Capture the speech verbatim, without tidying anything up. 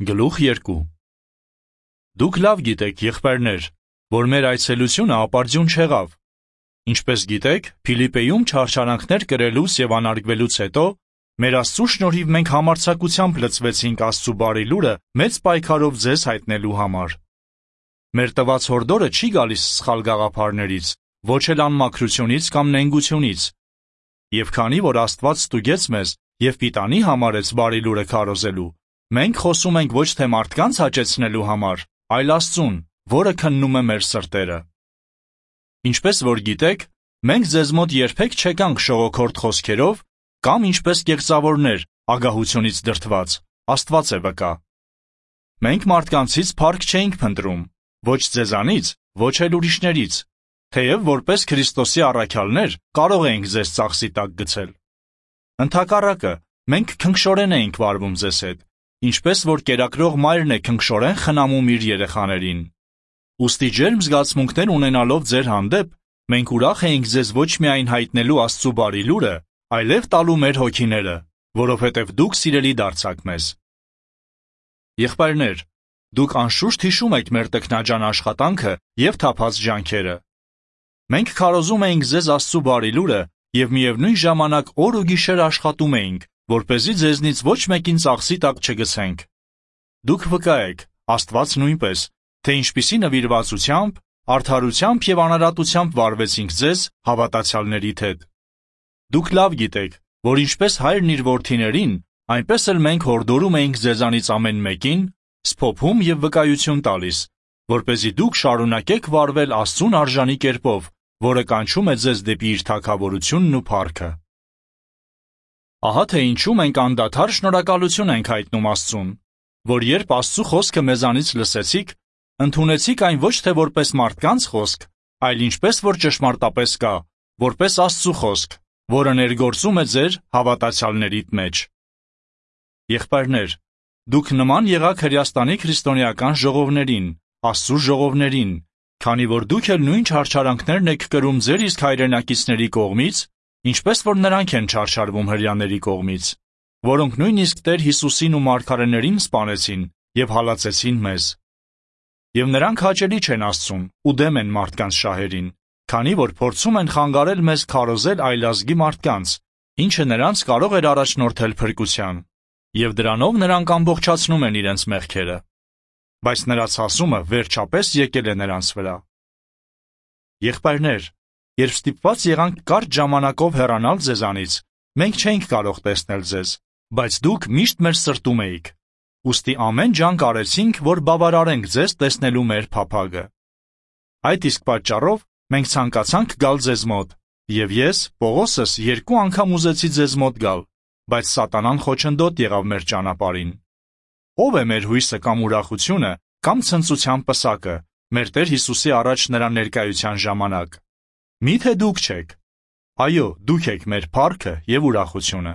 Գլուխ երկու Դուք լավ գիտեք, եղբայրներ, որ մեր այցելությունը ապարդյուն չեղավ։ Ինչպես գիտեք, Փիլիպպեում չարչարանքներ կրելուց եւ անարգվելուց հետո մեր Աստծու շնորհիվ մենք համարձակությամբ լցվեցինք Աստծու բարի լուրը մեծ պայքարով ձեզ հայտնելու համար։ Մեր տված հորդորը չի գալիս սխալ գաղափարներից, ոչ էլ անմաքրությունից կամ նենգությունից։ Եվ քանի որ Աստված ստուգեց մեզ եւ պիտանի համարեց բարի լուրը քարոզելու, մենք խոսում ենք ոչ թե մարդկանց հաճեցնելու համար, այլ Աստծուն, որը քննում է մեր սրտերը։ Ինչպես որ գիտեք, մենք ձեզ մոտ երբեք չեկանք շողոքորթ խոսքերով կամ ինչպես կեղծավորներ, ագահությունից դրդված, Աստված է վկա։ Մենք մարդկանցից փառք չէինք փնտրում, ոչ ձեզանից, ոչ էլ ուրիշներից, թեև որպես Քրիստոսի առաքյալներ կարող էինք ձեզ ծախսի տակ գցել։ Ընդհակառակը, մենք քնքշորեն էինք վարվում ձեզ հետ, ինչպես որ կերակրող մայրն է քնքշորեն խնամում իր երեխաներին։ Ուստի ջերմ զգացմունքներ ունենալով ձեր հանդեպ, մենք ուրախ էինք ձեզ ոչ միայն հայտնելու Աստծու բարի լուրը, այլև տալու մեր հոգիները, որովհետև դուք սիրելի դարձաք մեզ։ Եղբայրներ, դուք անշուշտ հիշում եք մեր տքնաջան աշխատանքը եւ թափած ջանքերը։ Մենք քարոզում էինք ձեզ Աստծու բարի լուրը եւ միևնույն ժամանակ օր ու գիշեր աշխատում էինք, որպեսզի ձեզնից ոչ մեկին ծախսի տակ չգցենք։ Դուք վկա եք, Աստված նույնպես, թե ինչպիսի նվիրվածությամբ, արդարությամբ եւ անարատությամբ վարվեցինք ձեզ հավատացյալներիդ հետ։ Դուք լավ գիտեք, որ ինչպես հայրն իր որդիներին, այնպես էլ մենք հորդորում էինք ձեզանից ամեն մեկին, սփոփում եւ վկայություն տալիս, որպեսզի դուք շարունակեք վարվել Աստծուն արժանի կերպով, որը կանչում է ձեզ դեպի իր թագավորությունն ու փառքը։ Ահա թե ինչու մենք անդադար շնորհակալություն ենք հայտնում Աստծուն, որ երբ Աստծու խոսքը մեզանից լսեցիք, ընդունեցիք այն ոչ թե որպես մարդկանց խոսք, այլ ինչպես որ ճշմարտապես կա, որպես Աստծու խոսք, որը ներգործում է ձեր հավատացյալներիդ մեջ։ Եղբայրներ, դուք նման եղաք Հրեաստանի քրիստոնեական ժողովներին, Աստծու ժողովներին, քանի որ դուք էլ նույն չարչարանքներն եք կրում ձեր իսկ հայրենակիցների կողմից, ինչպես որ նրանք են չարչարվում հրեաների կողմից, որոնք նույնիսկ Տեր Հիսուսին ու մարգարեներին սպանեցին եւ հալածեցին մեզ։ Եվ նրանք հաճելի չեն Աստծուն ու դեմ են մարդկանց շահերին, քանի որ փորձում են խանգարել մեզ քարոզել այլազգի մարդկանց, ինչը նրանց կարող էր առաջնորդել փրկության, եւ դրանով նրանք ամբողջացնում են իրենց մեղքերը։ Բայց նրա ցասումը վերջապես եկել է նրանց վրա։ Եղբայրներ, երբ ստիպված եղանք կարճ ժամանակով հեռանալ ձեզանից, մենք չէինք կարող տեսնել ձեզ, բայց դուք միշտ մեր սրտում էիք։ Ուստի ամեն ջանք արեցինք, որ բավարարենք ձեզ տեսնելու մեր փափագը։ Այդ իսկ պատճառով մենք ցանկացանք գալ ձեզ մոտ, եւ ես, Պողոսս, երկու անգամ ուզեցի ձեզ մոտ գալ, բայց սատանան խոչընդոտ եղավ մեր ճանապարհին։ Ո՞վ է մեր հույսը կամ ուրախությունը, կամ ցնծության պսակը, մեր Տեր Հիսուսի առաջ նրա ներկայության ժամանակ։ Միթե դուք չեք։ Այո, դուք եք մեր փառքը եւ ուրախությունը։